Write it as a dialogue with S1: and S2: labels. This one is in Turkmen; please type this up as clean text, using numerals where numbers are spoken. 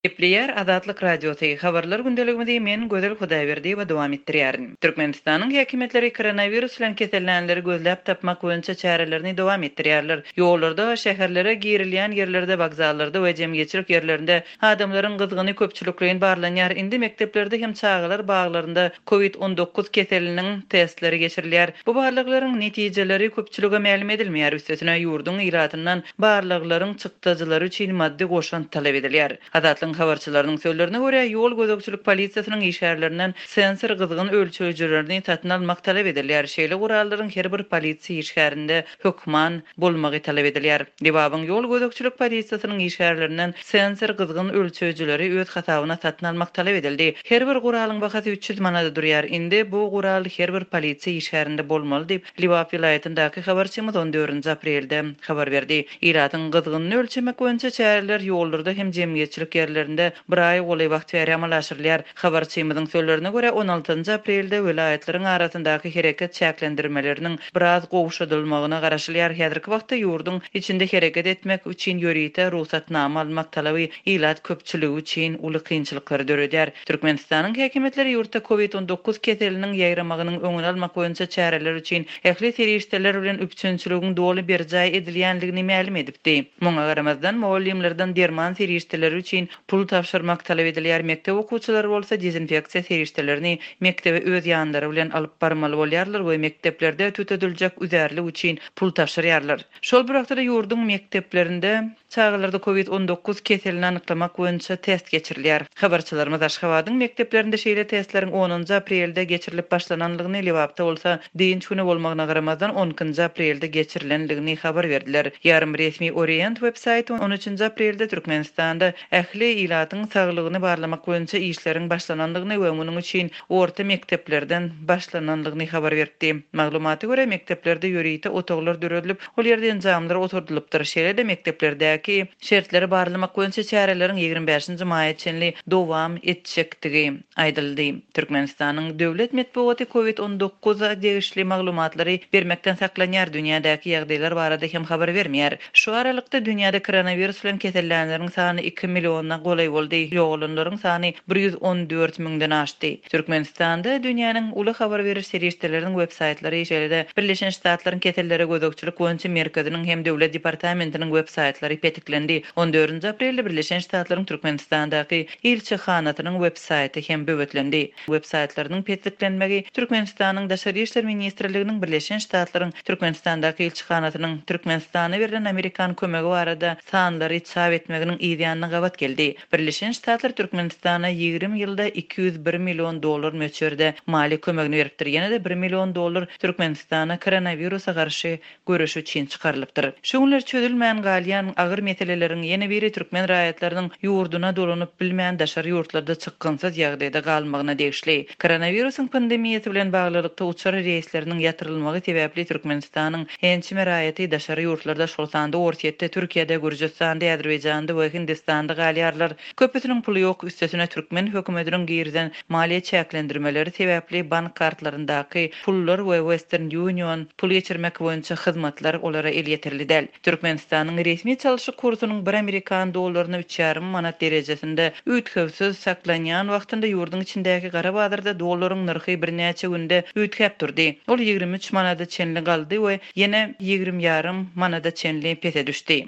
S1: Gepleýär Azatlyk Radiosy, Habarlar gündeligimizi men Gözel Hudaýberdiýewa dowam etdirýärin. Türkmenistanyň häkimiýetleri koronawirus bilen kesellänleri gözläp tapmak boýunça çärelerini dowam etdirýärler. Ýollarda, şäherlere girilýän ýerlerde, wokzallarda we jemgyýetçilik ýerlerinde adamlaryň gyzgyny köpçülikleýin barlanýar. Indi mekdeplerde hem çagalar baglarynda Covid 19 keseliniň testleri geçirilýär. Bu barlaglaryň netijeleri köpçülige mälim edilmeýär, üstesine ýurduň ilatyndan barlaglaryň çykdajylary üçin maddy goşant talap edilýär. Azatlygyň habarçylarynyň sözlerine görä, ýol gözegçilik polisiýasynyň işgärlerinden sensor gyzgyn ölçeýjilerini satyn almak talap edilýär. Şeýle gurallaryň her bir polisiýa işgärinde hökman bolmagy talap edilýär. Lebabyň ýol gözegçilik polisiýasynyň işgärlerinden sensor gyzgyn ölçeýjileri öz hasabyna satyn almak talap edildi. Her bir guralyň bahasy 300 manada durýar. Indi bu gural her bir polisiýa işgärinde bolmaly diýip, Lebap welaýatyndaky habarçymyz on dördünji aprelde habar berdi. Ilatyň gyzgynyny ölçemek boýunça çäreler ýollarda hem jemgyýetçilik ýerlerinde bir aýa golaý wagt bäri amala aşyrylýar. Habarçymyzyň sözlerine görä, on altynjy aprelde welaýatlaryň arasyndaky hereket çäklendirmeleriniň biraz gowşadylmagyna garaşylýar. Häzirki wagtda ýurduň içinde hereket etmek üçin ýörite rugsatnama almak talaby ilat köpçüligi üçin uly kynçylyklary döredýär. Türkmenistanyň häkimiýetleri ýurtda Covid 19 keseliniň ýaýramagynyň öňüni almak boýunça çäreler üçin ähli serişdeler bilen üpjünçiligiň doly berjaý edilýändigini mälim edipdi. Muňa garamazdan, mugallymlardan derman serişdeleri üçin pul tabşyrmak talap edilýär, mekdep okuwçylary bolsa dezinfeksiýa serişdelerini mekdebe öz ýanlary bilen alyp barmaly bolýarlar we mekdeplerde tütediljek üzärlik üçin pul tabşyrýarlar. Şol bir wagtda-da ýurduň mekdeplerinde Çagalarda Covid 19 keselini anyklamak boýunça test geçirilýär. Habarçylarymyz Aşgabadyň mekdeplerinde şeýle testleriň onunjy aprelde geçirilip başlananlygyny, Lebapda bolsa dynç güni bolmagyna garamazdan on ikinji aprelde geçirilenligini habar berdiler. Ýarym resmi Orient web saýty on üçünji aprelde Türkmenistanda ähli ilatyň saglygyny barlamak boýunça işleriň başlananlygyny we munuň üçin orta mekdeplerden başlananlygyny habar beripdi. Maglumata görä, mekdeplerde ýörite otaglar döredilip, Ol ýerde enjamlar oturdylypdyr. Şeýle-de mekdeplerdäki şertleri barlamak boýunça çäreleriň 25-nji maýa çenli dowam etjekdigi aýdyldy. Türkmenistanyň döwlet metbugaty Covid 19 degişli maglumatlary bermekden saklanýar, dünýädäki ýagdaýlar barada hem habar bermeýär. Şu aralykda, dünýäde koronawirus bilen kesellänleriň sany iki milliona golaý boldy, ýogalanlaryň sany 114 müňden aşdy. Türkmenistanda dünýäniň uly habar beriş serişdeleriniň web-saýtlary, şeýle-de Birleşen Ştatlaryň Kesellere gözegçilik boýunça merkeziniň hem Döwlet departamentiniň web-saýtlary petiklendi. On dördünji aprelde Birleşen Ştatlaryň Türkmenistandaky ilçihanasynyň web-saýty hem böwetlendi. Web-saýtlarynyň petiklenmegi Türkmenistanyň Daşary işler ministrliginiň Birleşen Ştatlaryň Türkmenistandaky ilçihanasynyň Türkmenistana berlen amerikan kömegi barada sanlary çap etmeginiň yzýanyna gabat geldi. Birleşen Ştatlar Türkmenistana 20 ýylda 201 million dollar möçberde maliýe kömegini beripdir. Ýene-de bir million dollar Türkmenistana koronawirusa garşy göreş üçin çykarylypdyr. Şu günler çözülmän galýan agyr meseleleriň ýene biri türkmen raýatlarynyň ýurduna dolanyp bilmän daşary ýurtlarda çykgynsyz ýagdaýda galmagyna degişli. Koronawirusyň pandemiýasy bilen baglylykda uçar reýsleriniň ýatyrylmagy sebäpli Türkmenistanyň ençeme raýaty daşary ýurtlarda, şol sanda Orsýetde, Türkiýede, Gürjüstanda, Azerbaýjanda we Hindistanda galýarlar. Köpüsiniň puly ýok, üstesine türkmen hökümetiniň girizen maliýe çäklendirmeleri sebäpli bank kartlaryndaky pullar we Western Union pul geçirmek boýunça hyzmatlar olara elýeterli däl. Türkmenistanyň resmi çalşyk kursunyň bir amerikan dollaryna üç ýarym manat derejesinde üýtgewsiz saklanýan wagtynda ýurduň içindäki gara bazarda dollaryň nyrhy birnäçe günde üýtgäp durdy. Ol 23 manada çenli galdy we ýene 20 ýarym manada çenli pese düşdi.